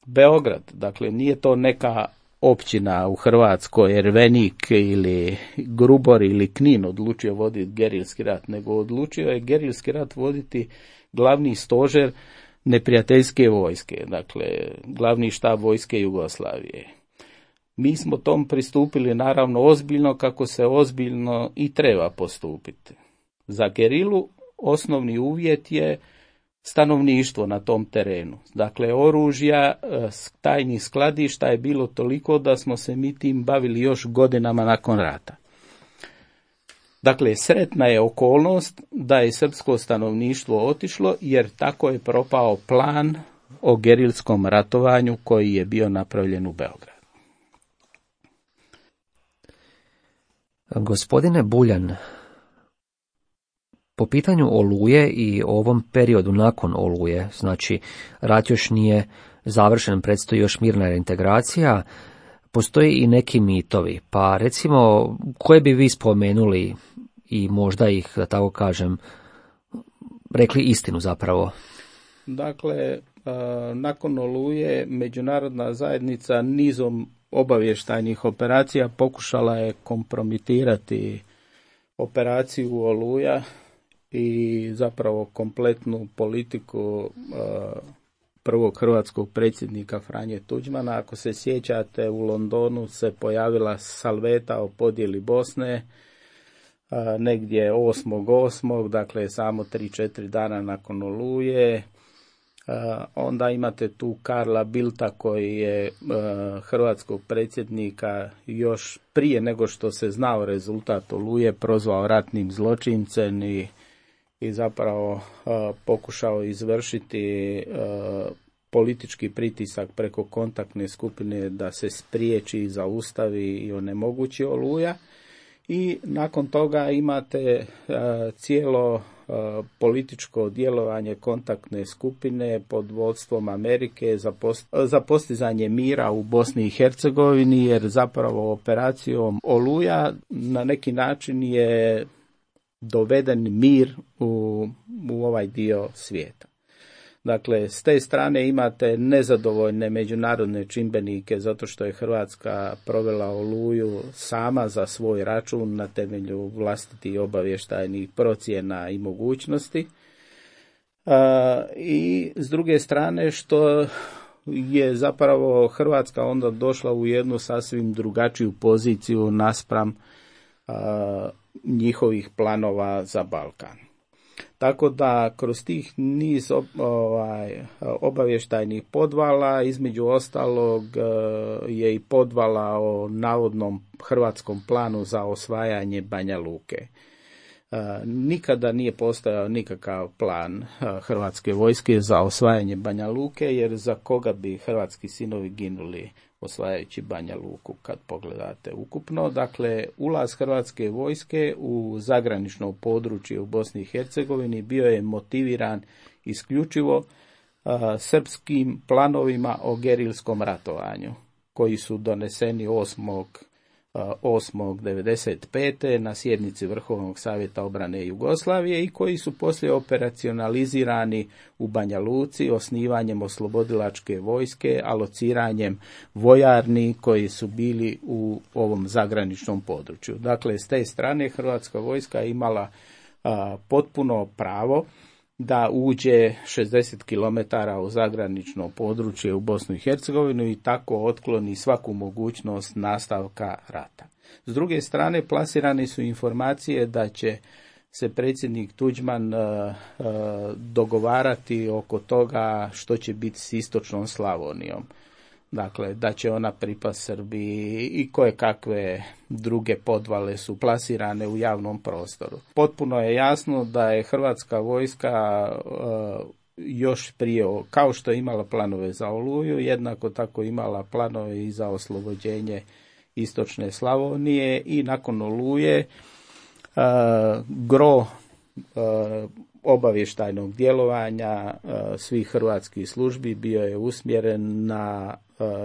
Beograd, dakle nije to neka općina u Hrvatskoj, Ervenik ili Grubor ili Knin odlučio voditi gerilski rat, nego odlučio je gerilski rat voditi glavni stožer neprijateljske vojske, dakle glavni štab vojske Jugoslavije. Mi smo tom pristupili naravno ozbiljno, kako se ozbiljno i treba postupiti. Za gerilu osnovni uvjet je stanovništvo na tom terenu. Dakle, oružja, tajnih skladišta je bilo toliko da smo se mi tim bavili još godinama nakon rata. Dakle, sretna je okolnost da je srpsko stanovništvo otišlo, jer tako je propao plan o gerilskom ratovanju koji je bio napravljen u Beogradu. Gospodine Buljan, po pitanju Oluje i ovom periodu nakon Oluje, znači rat još nije završen, predstoji još mirna reintegracija, postoji i neki mitovi, pa recimo koje bi vi spomenuli i možda ih, da tako kažem, rekli istinu zapravo? Dakle, nakon Oluje međunarodna zajednica nizom obavještajnih operacija pokušala je kompromitirati operaciju Oluja i zapravo kompletnu politiku prvog hrvatskog predsjednika Franje Tuđmana. Ako se sjećate, u Londonu se pojavila salveta o podjeli Bosne negdje osmog osmog dakle samo tri četiri dana nakon Oluje. Onda imate tu Karla Bildta koji je hrvatskog predsjednika još prije nego što se znao rezultat Oluje prozvao ratnim zločincem i, i zapravo pokušao izvršiti politički pritisak preko kontaktne skupine da se spriječi i zaustavi i onemogući Oluja. I nakon toga imate cijelo političko djelovanje kontaktne skupine pod vodstvom Amerike za, post, za postizanje mira u Bosni i Hercegovini, jer zapravo operacijom Oluja na neki način je doveden mir u, u ovaj dio svijeta. Dakle, s te strane imate nezadovoljne međunarodne čimbenike zato što je Hrvatska provela Oluju sama za svoj račun na temelju vlastitih obavještajnih procjena i mogućnosti. A, i s druge strane što je zapravo Hrvatska onda došla u jednu sasvim drugačiju poziciju naspram a, njihovih planova za Balkan. Tako da kroz tih niz ovaj, obavještajnih podvala, između ostalog je i podvala o navodnom hrvatskom planu za osvajanje Banja Luke. Nikada nije postojao nikakav plan hrvatske vojske za osvajanje Banja Luke, jer za koga bi hrvatski sinovi ginuli osvajajući Banja Luku kad pogledate ukupno. Dakle, ulaz hrvatske vojske u zagranično područje u Bosni i Hercegovini bio je motiviran isključivo a, srpskim planovima o gerilskom ratovanju, koji su doneseni osmog osmog devedeset pete na sjednici Vrhovnog savjeta obrane Jugoslavije i koji su poslije operacionalizirani u Banja Luci osnivanjem oslobodilačke vojske, alociranjem vojarni koji su bili u ovom zagraničnom području. Dakle, s te strane Hrvatska vojska je imala a, potpuno pravo da uđe šezdeset kilometara u zagranično područje u Bosnu i Hercegovinu i tako otkloni svaku mogućnost nastavka rata. S druge strane, plasirane su informacije da će se predsjednik Tuđman uh, uh, dogovarati oko toga što će biti s istočnom Slavonijom. Dakle, da će ona pripast Srbiji i koje kakve druge podvale su plasirane u javnom prostoru. Potpuno je jasno da je Hrvatska vojska uh, još prije, kao što je imala planove za Oluju, jednako tako imala planove i za oslobođenje istočne Slavonije i nakon Oluje uh, gro uh, obavještajnog djelovanja uh, svih hrvatskih službi bio je usmjeren na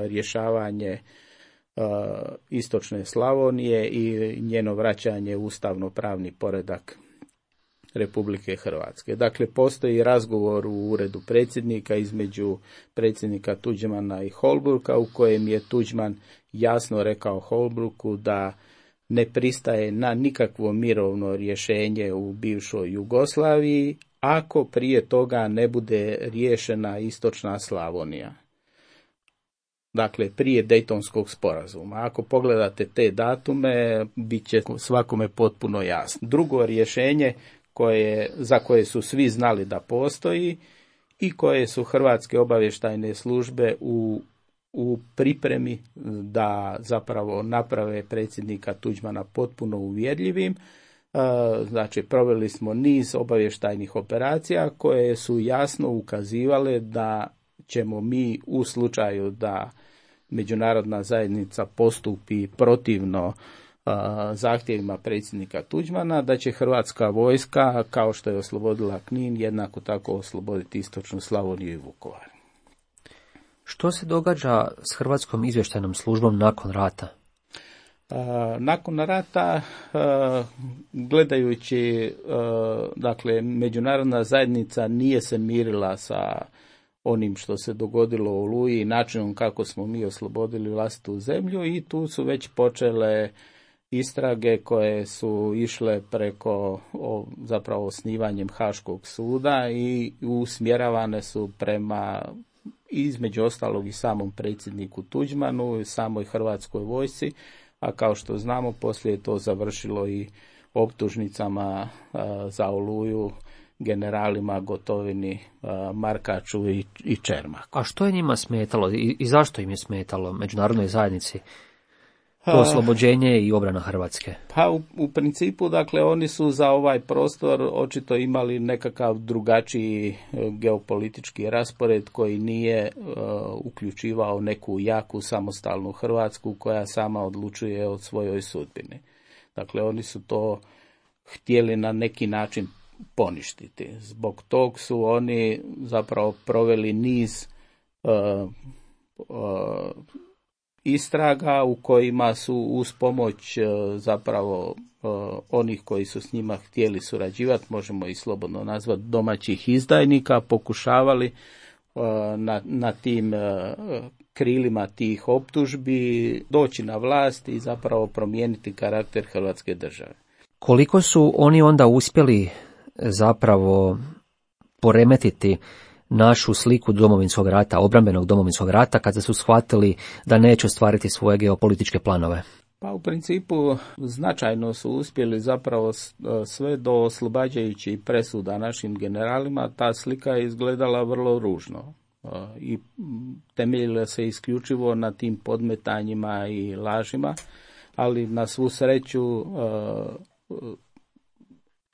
rješavanje uh, istočne Slavonije i njeno vraćanje u ustavno-pravni poredak Republike Hrvatske. Dakle, postoji razgovor u uredu predsjednika između predsjednika Tuđmana i Holbrooka u kojem je Tuđman jasno rekao Holbrooku da ne pristaje na nikakvo mirovno rješenje u bivšoj Jugoslaviji ako prije toga ne bude riješena istočna Slavonija. Dakle, prije Dejtonskog sporazuma. Ako pogledate te datume, bit će svakome potpuno jasno. Drugo rješenje koje, za koje su svi znali da postoji i koje su hrvatske obavještajne službe u, u pripremi da zapravo naprave predsjednika Tuđmana potpuno uvjerljivim. Znači, proveli smo niz obavještajnih operacija koje su jasno ukazivale da ćemo mi u slučaju da međunarodna zajednica postupi protivno a, zahtjevima predsjednika Tuđmana, da će Hrvatska vojska, kao što je oslobodila Knin, jednako tako osloboditi istočnu Slavoniju i Vukovar. Što se događa s Hrvatskom izvještajnom službom nakon rata? A, nakon rata, a, gledajući, a, dakle, međunarodna zajednica nije se mirila sa onim što se dogodilo u Oluji i načinom kako smo mi oslobodili vlastitu zemlju i tu su već počele istrage koje su išle preko o, zapravo osnivanjem Haškog suda i usmjeravane su prema između ostalog i samom predsjedniku Tuđmanu i samoj Hrvatskoj vojsci, a kao što znamo poslije je to završilo i optužnicama a, za Oluju generalima Gotovini, Markaču i, i Čermaku. A što je njima smetalo i, i zašto im je smetalo međunarodnoj zajednici to oslobođenje i obrana Hrvatske? Pa u, u principu, dakle, oni su za ovaj prostor očito imali nekakav drugačiji geopolitički raspored koji nije uh, uključivao neku jaku samostalnu Hrvatsku koja sama odlučuje o svojoj sudbini. Dakle, oni su to htjeli na neki način poništiti. Zbog tog su oni zapravo proveli niz uh, uh, istraga u kojima su uz pomoć uh, zapravo uh, onih koji su s njima htjeli surađivati, možemo ih slobodno nazvati domaćih izdajnika, pokušavali uh, na, na tim uh, krilima tih optužbi doći na vlast i zapravo promijeniti karakter Hrvatske države. Koliko su oni onda uspjeli zapravo poremetiti našu sliku Domovinskog rata, obrambenog Domovinskog rata, kada su shvatili da neće ostvariti svoje geopolitičke planove? Pa u principu značajno su uspjeli zapravo sve do oslobađajućih presuda našim generalima. Ta slika je izgledala vrlo ružno i temeljila se isključivo na tim podmetanjima i lažima, ali na svu sreću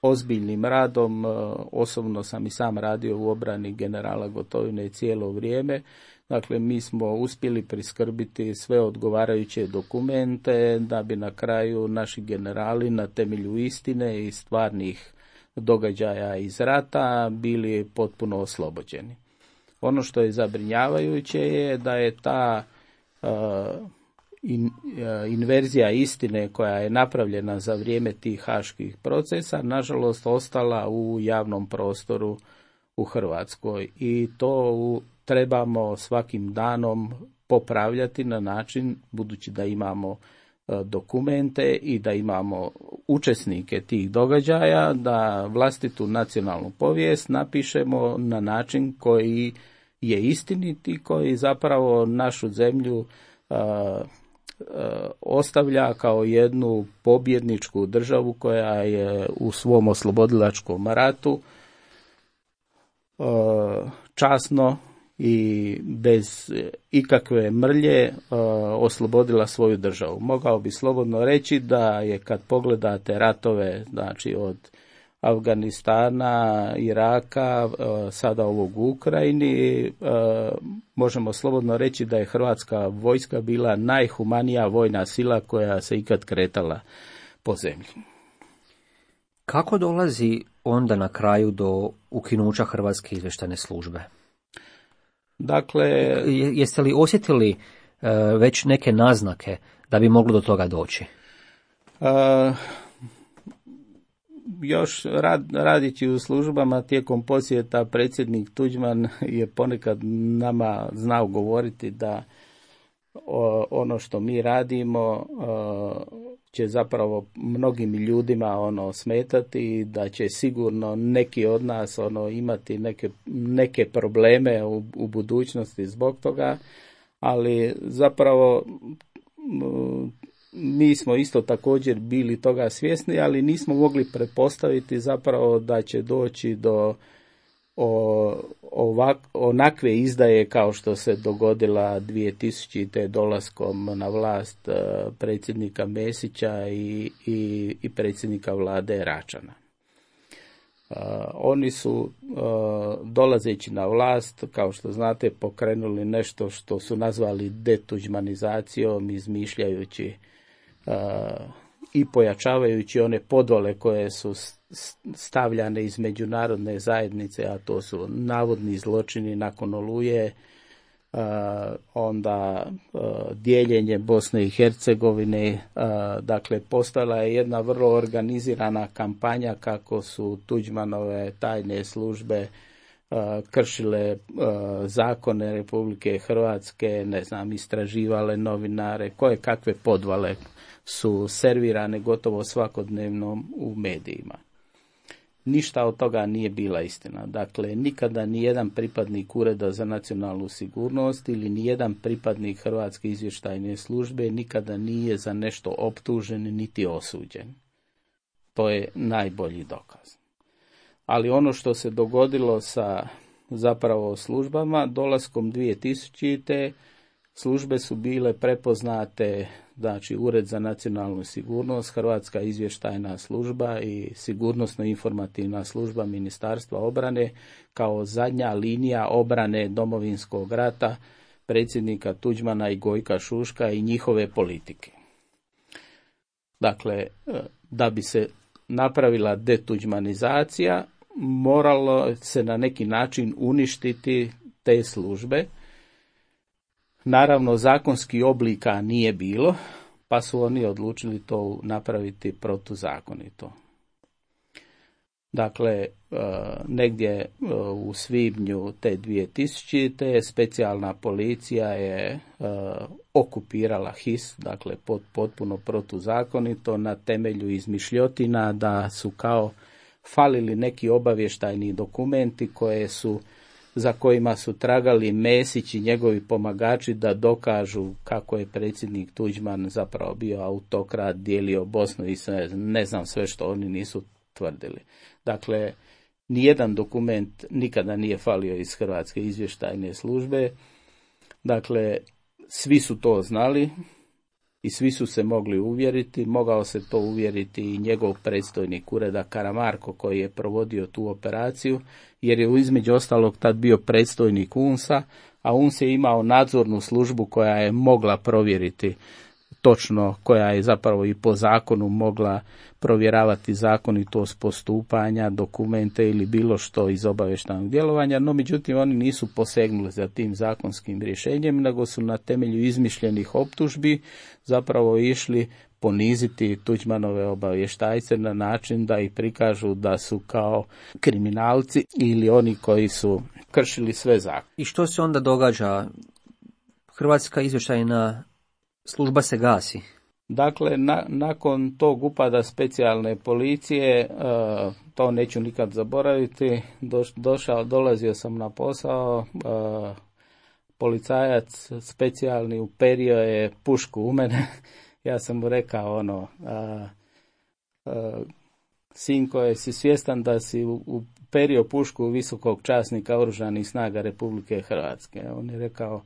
ozbiljnim radom, osobno sam i sam radio u obrani generala Gotovine cijelo vrijeme. Dakle, mi smo uspjeli priskrbiti sve odgovarajuće dokumente da bi na kraju naši generali na temelju istine i stvarnih događaja iz rata bili potpuno oslobođeni. Ono što je zabrinjavajuće je da je ta uh, in, inverzija istine koja je napravljena za vrijeme tih haških procesa, nažalost ostala u javnom prostoru u Hrvatskoj. I to u, trebamo svakim danom popravljati na način, budući da imamo dokumente i da imamo učesnike tih događaja, da vlastitu nacionalnu povijest napišemo na način koji je istinit i koji zapravo našu zemlju a, a, ostavlja kao jednu pobjedničku državu koja je u svom oslobodilačkom ratu a, časno i bez ikakve mrlje uh, oslobodila svoju državu. Mogao bi slobodno reći da je, kad pogledate ratove, znači od Afganistana, Iraka, uh, sada ovog u Ukrajini, uh, možemo slobodno reći da je Hrvatska vojska bila najhumanija vojna sila koja se ikad kretala po zemlji. Kako dolazi onda na kraju do ukinuća Hrvatske izvještajne službe? Dakle, jeste li osjetili uh, već neke naznake da bi moglo do toga doći? Uh, još rad, radići u službama tijekom posjeta predsjednik Tuđman je ponekad nama znao govoriti da o, ono što mi radimo uh, će zapravo mnogim ljudima ono smetati, da će sigurno neki od nas ono imati neke, neke probleme u, u budućnosti zbog toga, ali zapravo mi smo isto također bili toga svjesni, ali nismo mogli pretpostaviti zapravo da će doći do o, ovak, onakve izdaje kao što se dogodila dvije tisućite. dolaskom na vlast predsjednika Mesića i, i, i predsjednika vlade Račana. Uh, oni su uh, dolazeći na vlast, kao što znate, pokrenuli nešto što su nazvali detuđmanizacijom, izmišljajući uh, i pojačavajući one podvale koje su stavljane iz međunarodne zajednice, a to su navodni zločini nakon Oluje, uh, onda uh, dijeljenje Bosne i Hercegovine. Uh, dakle, postala je jedna vrlo organizirana kampanja kako su Tuđmanove tajne službe uh, kršile uh, zakone Republike Hrvatske, ne znam, istraživale novinare, koje kakve podvale su servirane gotovo svakodnevno u medijima. Ništa od toga nije bila istina. Dakle, nikada nijedan pripadnik Ureda za nacionalnu sigurnost ili nijedan pripadnik Hrvatske izvještajne službe nikada nije za nešto optužen niti osuđen. To je najbolji dokaz. Ali ono što se dogodilo sa zapravo službama, dolaskom dvije tisućite. službe su bile prepoznate, znači Ured za nacionalnu sigurnost, Hrvatska izvještajna služba i sigurnosno-informativna služba Ministarstva obrane kao zadnja linija obrane Domovinskog rata predsjednika Tuđmana i Gojka Šuška i njihove politike. Dakle, da bi se napravila detuđmanizacija, moralo se na neki način uništiti te službe. Naravno, zakonski oblika nije bilo, pa su oni odlučili to napraviti protuzakonito. Dakle, negdje u svibnju te dvije tisućite. specijalna policija je okupirala H I S, dakle potpuno protuzakonito, na temelju izmišljotina da su kao falili neki obavještajni dokumenti koje su za kojima su tragali Mesić i njegovi pomagači da dokažu kako je predsjednik Tuđman zapravo bio autokrat, dijelio Bosnu i sve, ne znam sve što oni nisu tvrdili. Dakle, nijedan dokument nikada nije falio iz Hrvatske izvještajne službe. Dakle, svi su to znali i svi su se mogli uvjeriti. Mogao se to uvjeriti i njegov predstojnik ureda Karamarko koji je provodio tu operaciju, jer je između ostalog tad bio predstojnik U N S-a, a U N S je imao nadzornu službu koja je mogla provjeriti točno, koja je zapravo i po zakonu mogla provjeravati zakonitost postupanja, dokumente ili bilo što iz obavještajnog djelovanja, no međutim oni nisu posegnuli za tim zakonskim rješenjem, nego su na temelju izmišljenih optužbi zapravo išli poniziti Tuđmanove obavještajce na način da ih prikažu da su kao kriminalci ili oni koji su kršili sve zakone. I što se onda događa? Hrvatska izvještajna služba se gasi. Dakle, na, nakon tog upada specijalne policije, uh, to neću nikad zaboraviti, doš, došao, dolazio sam na posao, uh, policajac specijalni uperio je pušku u mene. Ja sam mu rekao ono, uh, uh, sinko, je si svjestan da si uperio pušku visokog časnika Oružanih snaga Republike Hrvatske? On je rekao,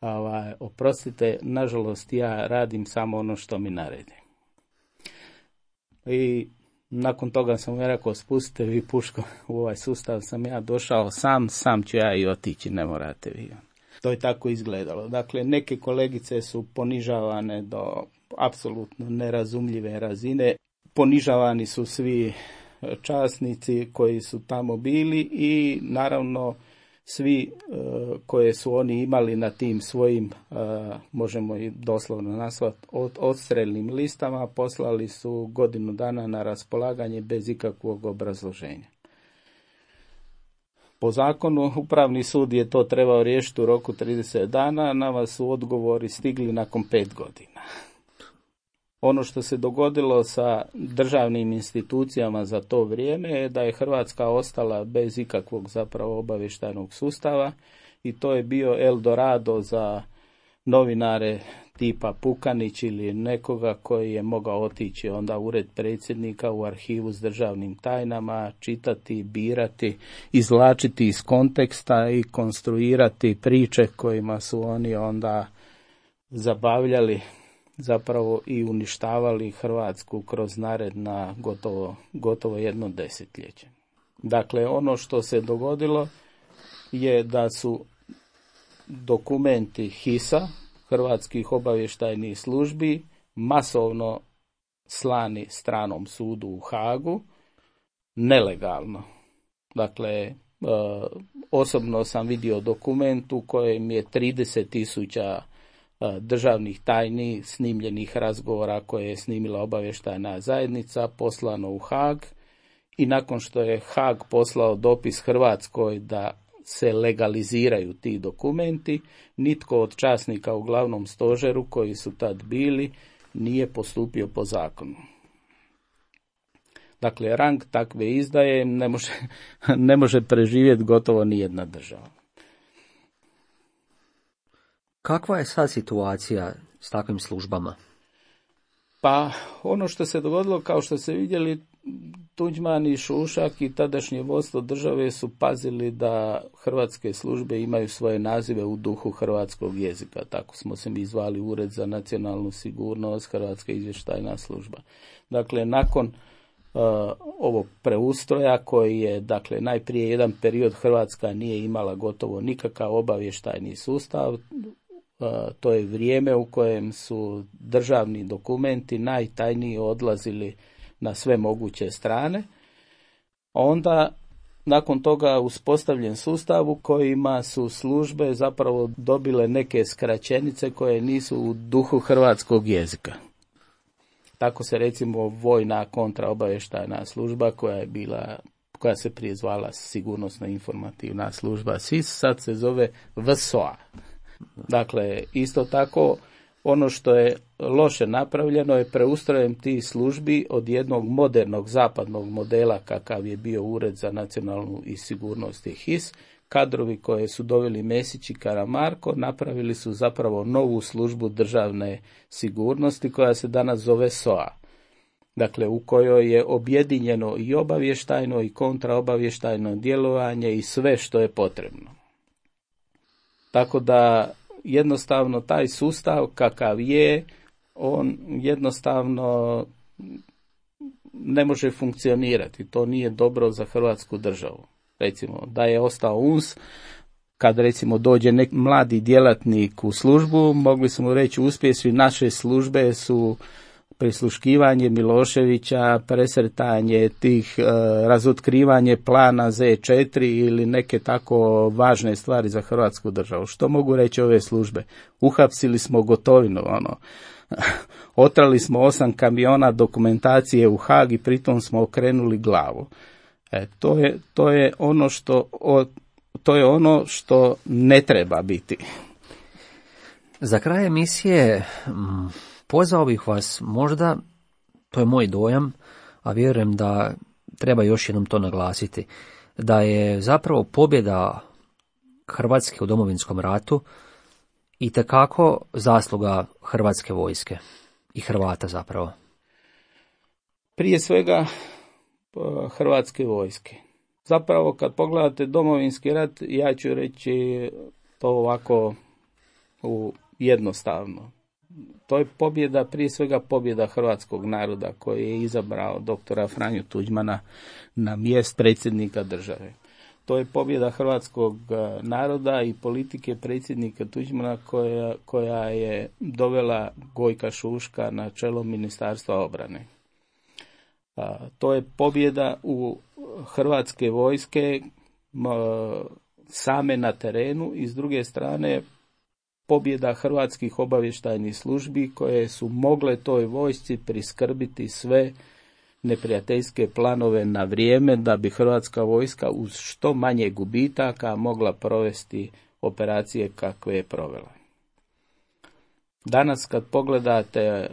Ovaj, oprostite, nažalost ja radim samo ono što mi naredi. I nakon toga sam mu rekao, spustite vi pušku u ovaj sustav, sam ja došao sam, sam ću ja i otići, ne morate vi. To je tako izgledalo. Dakle, neke kolegice su ponižavane do apsolutno nerazumljive razine. Ponižavani su svi časnici koji su tamo bili i naravno svi uh, koje su oni imali na tim svojim, uh, možemo i doslovno nazvati, od, odstrelnim listama, poslali su godinu dana na raspolaganje bez ikakvog obrazloženja. Po zakonu Upravni sud je to trebao riješiti u roku trideset dana, nama su odgovori stigli nakon pet godina. Ono što se dogodilo sa državnim institucijama za to vrijeme je da je Hrvatska ostala bez ikakvog zapravo obavještajnog sustava i to je bio Eldorado za novinare tipa Pukanić ili nekoga koji je mogao otići onda u ured predsjednika u arhivu s državnim tajnama, čitati, birati, izvlačiti iz konteksta i konstruirati priče kojima su oni onda zabavljali zapravo i uništavali Hrvatsku kroz naredna gotovo, gotovo jedno desetljeće. Dakle, ono što se dogodilo je da su dokumenti hisa, hrvatskih obavještajnih službi, masovno slani stranom sudu u Hagu, nelegalno. Dakle, e, osobno sam vidio dokument u kojem je trideset tisuća državnih tajni snimljenih razgovora koje je snimila obavještajna zajednica poslano u Haag i nakon što je Haag poslao dopis Hrvatskoj da se legaliziraju ti dokumenti, nitko od časnika u glavnom stožeru koji su tad bili nije postupio po zakonu. Dakle, rang takve izdaje ne može, ne može preživjeti gotovo nijedna država. Kakva je sad situacija s takvim službama? Pa ono što se dogodilo, kao što ste vidjeli, Tuđman i Šušak i tadašnje vodstvo države su pazili da hrvatske službe imaju svoje nazive u duhu hrvatskog jezika. Tako smo se mi zvali Ured za nacionalnu sigurnost, Hrvatska izvještajna služba. Dakle, nakon uh, ovog preustroja koji je, dakle, najprije jedan period Hrvatska nije imala gotovo nikakav obavještajni sustav, Uh, to je vrijeme u kojem su državni dokumenti najtajniji odlazili na sve moguće strane. Onda, nakon toga, uspostavljen sustav u kojima su službe zapravo dobile neke skraćenice koje nisu u duhu hrvatskog jezika. Tako se recimo vojna kontraobavještajna služba koja je bila, koja se prije zvala sigurnosna informativna služba S I S, sad se zove V S O A. Dakle, isto tako, ono što je loše napravljeno je preustrojem tih službi od jednog modernog zapadnog modela kakav je bio Ured za nacionalnu i sigurnost i H I S. Kadrovi koje su doveli Mesić i Karamarko napravili su zapravo novu službu državne sigurnosti koja se danas zove S O A. Dakle, u kojoj je objedinjeno i obavještajno i kontraobavještajno djelovanje i sve što je potrebno. Tako da jednostavno taj sustav kakav je, on jednostavno ne može funkcionirati. To nije dobro za Hrvatsku državu. Recimo, da je ostao U N S kad recimo dođe neki mladi djelatnik u službu, mogli smo reći uspjesi naše službe su prisluškivanje Miloševića, presretanje tih, e, razotkrivanje plana Z četiri ili neke tako važne stvari za Hrvatsku državu. Što mogu reći ove službe? Uhapsili smo Gotovinu, ono. Otrali smo osam kamiona dokumentacije u Haag i pritom smo okrenuli glavu. E, to je, to je ono što, o, to je ono što ne treba biti. Za kraj emisije m, pozvao bih vas možda, to je moj dojam, a vjerujem da treba još jednom to naglasiti, da je zapravo pobjeda Hrvatske u Domovinskom ratu itekako zasluga Hrvatske vojske i Hrvata zapravo. Prije svega Hrvatske vojske. Zapravo kad pogledate Domovinski rat, ja ću reći to ovako u jednostavno. To je pobjeda, prije svega pobjeda hrvatskog naroda koji je izabrao doktora Franju Tuđmana na mjesto predsjednika države. To je pobjeda hrvatskog naroda i politike predsjednika Tuđmana koja, koja je dovela Gojka Šuška na čelo Ministarstva obrane. A, to je pobjeda u Hrvatske vojske m, same na terenu i s druge strane pobjeda hrvatskih obavještajnih službi koje su mogle toj vojsci priskrbiti sve neprijateljske planove na vrijeme da bi Hrvatska vojska uz što manje gubitaka mogla provesti operacije kakve je provela. Danas kad pogledate,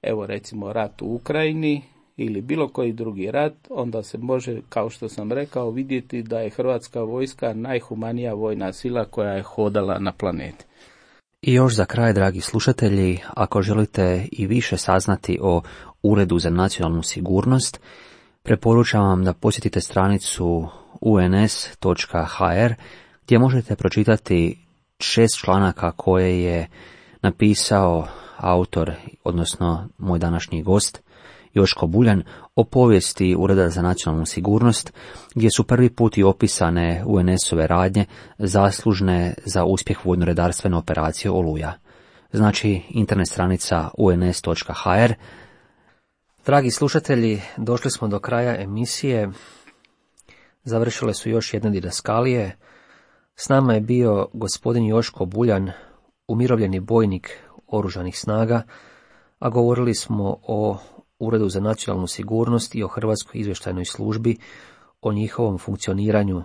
evo recimo rat u Ukrajini ili bilo koji drugi rat, onda se može, kao što sam rekao, vidjeti da je Hrvatska vojska najhumanija vojna sila koja je hodala na planeti. I još za kraj, dragi slušatelji, ako želite i više saznati o Uredu za nacionalnu sigurnost, preporučam vam da posjetite stranicu u en es točka ha er gdje možete pročitati šest članaka koje je napisao autor, odnosno moj današnji gost, Joško Buljan, o povijesti Ureda za nacionalnu sigurnost, gdje su prvi put i opisane u en esove radnje zaslužne za uspjeh vojno-redarstvene operacije Oluja. Znači, internet stranica u en es točka ha er. Dragi slušatelji, došli smo do kraja emisije. Završile su još jedne didaskalije. S nama je bio gospodin Joško Buljan, umirovljeni bojnik Oružanih snaga, a govorili smo o Uredu za nacionalnu sigurnost i o Hrvatskoj izvještajnoj službi, o njihovom funkcioniranju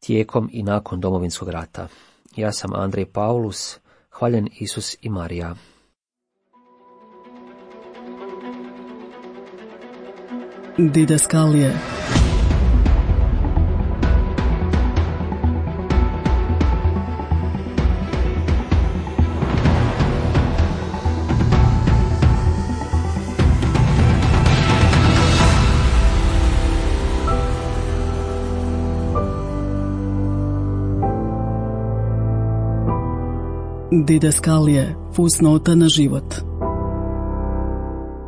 tijekom i nakon Domovinskog rata. Ja sam Andrej Paulus, hvaljen Isus i Marija. Didaskalije. Didaskalije, fusnota na život.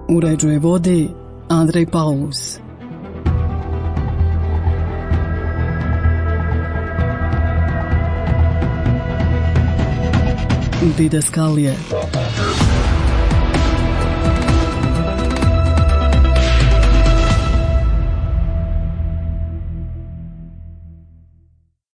Uređuje vodi Andrej Paulus. Didaskalije.